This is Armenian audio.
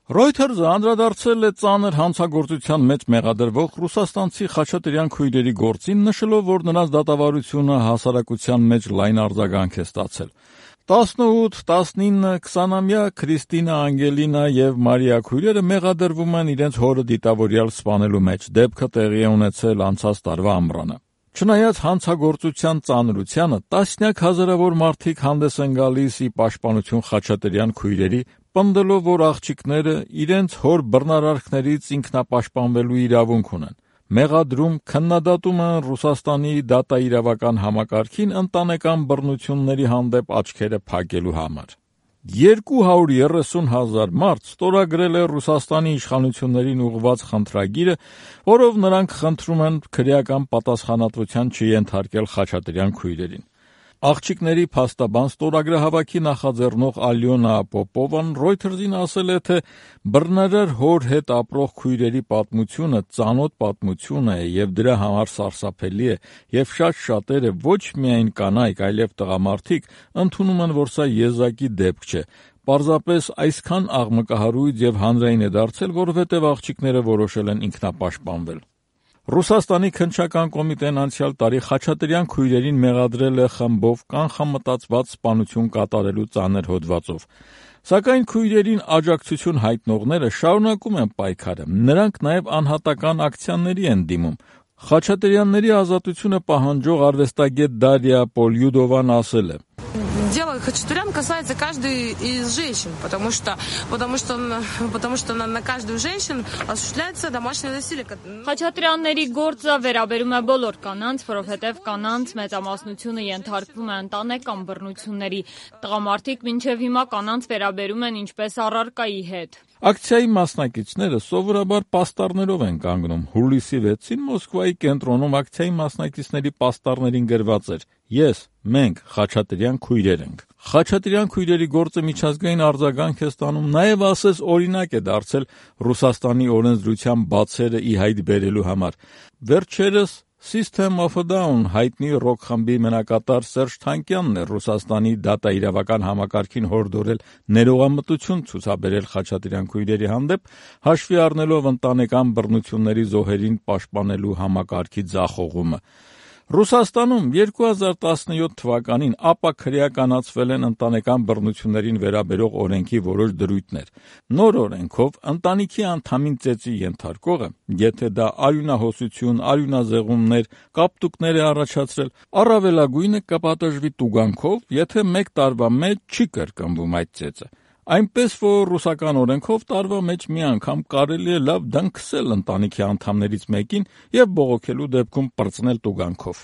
Reuters-ը անդրադարձել է ծանր հանցագործության մեջ մեղադրվող ռուսաստանցի խաչատրյան քույրերի գործին, նշելով, որ նրանց դատավարությունը հասարակության մեջ լայն արձագանք է ստացել։ 18, 19, 20-ամյա Քրիստինա, Անգելինա եւ Մարիա քույրերը մեղադրվում են իրենց հորը դիտավորյալ սպանելու մեջ։ Դեպքը տեղի է ունեցել անցած տարվա ամռանը։ Չնայած հանցագործության ծանրությանը, տասնյակ հազարավոր մարդիկ հանդես են գալիս ի պաշտպանություն խաչատրյան քույրերի, պնդելով, որ աղջիկները իրենց հոր բռնարարքներից ինքնապաշտպանվելու իրավունք ունեն։ Մեղադրում, քննադատում են Ռուսաստանի դատաիրավական համակարգին ընտանեկան բռնությունների հանդեպ աչքերը փակելու համար։ 230,000 մարդ ստորագրել է Ռուսաստանի իշխանություններին ուղղված խնդրագիրը, որով նրանք խնդրում են քրեական պատասխանատվության չենթարկել խաչատրյան քույրերին։ Աղջիկների փաստաբան ստորագրահավաքի նախաձեռնող Ալյոնա Պոպովան Reuters-ին ասել է, թե բռնարար հոր հետ ապրող քույրերի պատմությունը ծանոթ պատմություն է եւ դրա համար սարսափելի է, եւ շատ շատերը ոչ միայն կանայք, այլև տղամարդիկ ընդունում են, որ սա եզակի դեպք չէ։ Պարզապես այսքան աղմկահարույց եւ հանրային է դարձել, որովհետեւ աղջիկները որոշել են ինքնապաշտպանվել։ Ռուսաստանի քննչական կոմիտեն անցյալ տարի խաչատրյան քույրերին մեղադրել է խմբով կանխամտածված սպանություն կատարելու ծանր հոդվածով։ Սակայն քույրերին աջակցություն հայտնողները շարունակում են պայքարը, նրանք նաև անհատական ակցիաների են դիմում։ Խաչատրյանների ազատությունը պահանջող արվեստագետ Դարիա Պոլյուդովան ասել է. Дело Хачатурян касается каждой из женщин, потому что на каждую женщину осуществляется домашнее насилие. Խաչատրյանների գործը վերաբերում է բոլոր կանանց, որովհետև կանանց մեծամասնությունը ենթարկվում է ընտանեկան բռնությունների։ Տղամարդիկ մինչև հիմա կանանց վերաբերում են ինչպես առարկայի հետ։ Ակցիայի մասնակիցները սովորաբար պաստառներով են կանգնում։ Հուլիսի 6-ին Մոսկվայի կենտրոնում ակցիայի մասնակիցների պաստառներին գրված էր. «Ես, մենք, խաչատրյան քույրեր ենք»։ Խաչատրյան քույրերի գործը միջազգային արձագանք է ստանում, նաև ասես օրինակ է դարձել Ռուսաստանի օրենսդրության բացերը ի հայտ բերելու համար։ Վերջերս System of a Down հայտնի ռոք խմբի մենակատար Սերժ Թանկյանն է Ռուսաստանի դատաիրավական համակարգին հորդորել ներողամտություն ցուցաբերել խաչատրյան քույրերի հանդեպ, հաշվի առնելով ընտանեկան բռնությունների զոհերին պաշտպանելու համակարգի ձախողումը։ Ռուսաստանում 2017 թվականին ապաքրեականացվել են ընտանեկան բռնություններին վերաբերող օրենքի որոշ դրույթներ։ Նոր օրենքով ընտանիքի անդամին ծեծի ենթարկողը, եթե դա արյունահոսություն, արյունազեղումներ, կապտուկներ է առաջացրել, առավելագույնը կպատժվի տուգանքով, եթե 1 տարվա մեջ չի կրկնվում այդ ծեծը։ Այնպես որ ռուսական օրենքով տարվա մեջ մի անգամ կարելի է լավ դնքսել ընտանիքի անդամներից մեկին եւ բողոքելու դեպքում պրծնել տուգանքով։